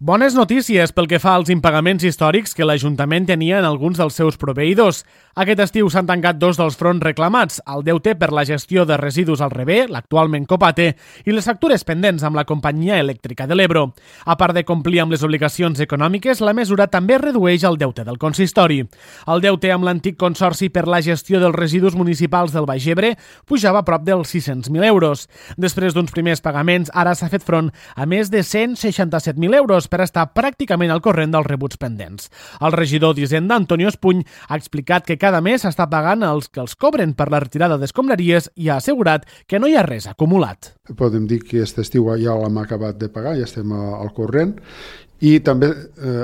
Bones notícies pel que fa als impagaments històrics que l'Ajuntament tenia en alguns dels seus proveïdors. Aquest estiu s'han tancat dos dels fronts reclamats, el deute per la gestió de residus al Rebé, l'actualment Copate, i les factures pendents amb la Companyia Elèctrica de l'Ebro. A part de complir amb les obligacions econòmiques, la mesura també redueix el deute del consistori. El deute amb l'antic Consorci per la gestió dels residus municipals del Baix Ebre pujava a prop dels 600.000 euros. Després d'uns primers pagaments, ara s'ha fet front a més de 167.000 euros per estar pràcticament al corrent dels rebuts pendents. El regidor d'Hisenda, Antonio Espuny, ha explicat que cada mes s'està pagant els que els cobren per la retirada d'escombraries i ha assegurat que no hi ha res acumulat. Podem dir que aquest estiu ja l'hem acabat de pagar, ja estem al corrent, i també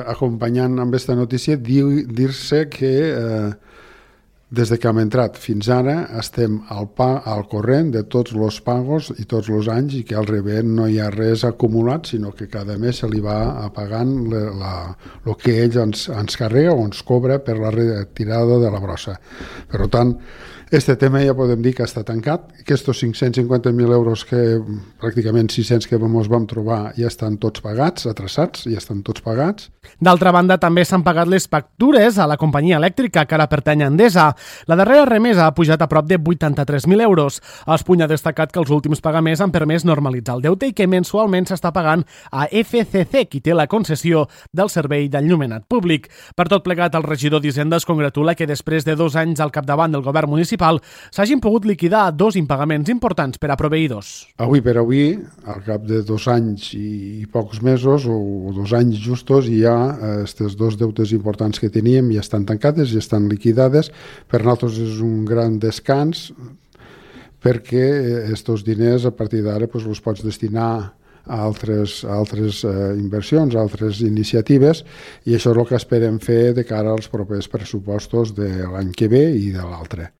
acompanyant amb aquesta notícia dir-se que des que hem entrat fins ara estem al corrent de tots els pagos i tots els anys i que al Rebé no hi ha res acumulat, sinó que cada mes se li va pagant el que ell ens carrega o ens cobra per la retirada de la brossa. Per tant, este tema ja podem dir que està tancat. Aquests 550.000 euros, que pràcticament 600 que ens vam trobar, ja estan tots pagats, atrasats, ja estan tots pagats. D'altra banda, també s'han pagat les factures a la companyia elèctrica que ara pertany a Endesa. La darrera remesa ha pujat a prop de 83.000 euros. Espuny ha destacat que els últims pagaments han permès normalitzar el deute i que mensualment s'està pagant a FCC, qui té la concessió del servei d'enllumenat públic. Per tot plegat, el regidor d'Hisenda es congratula que després de 2 anys al capdavant del govern municipal s'hagin pogut liquidar 2 impagaments importants per a proveïdors. Avui per avui, al cap de 2 anys i pocs mesos, o 2 anys justos, ja aquestes 2 deutes importants que teníem ja estan tancades, ja estan liquidades. Per nosaltres és un gran descans perquè aquests diners a partir d'ara els pots destinar a altres inversions, a altres iniciatives, i això és el que esperem fer de cara als propers pressupostos de l'any que ve i de l'altre.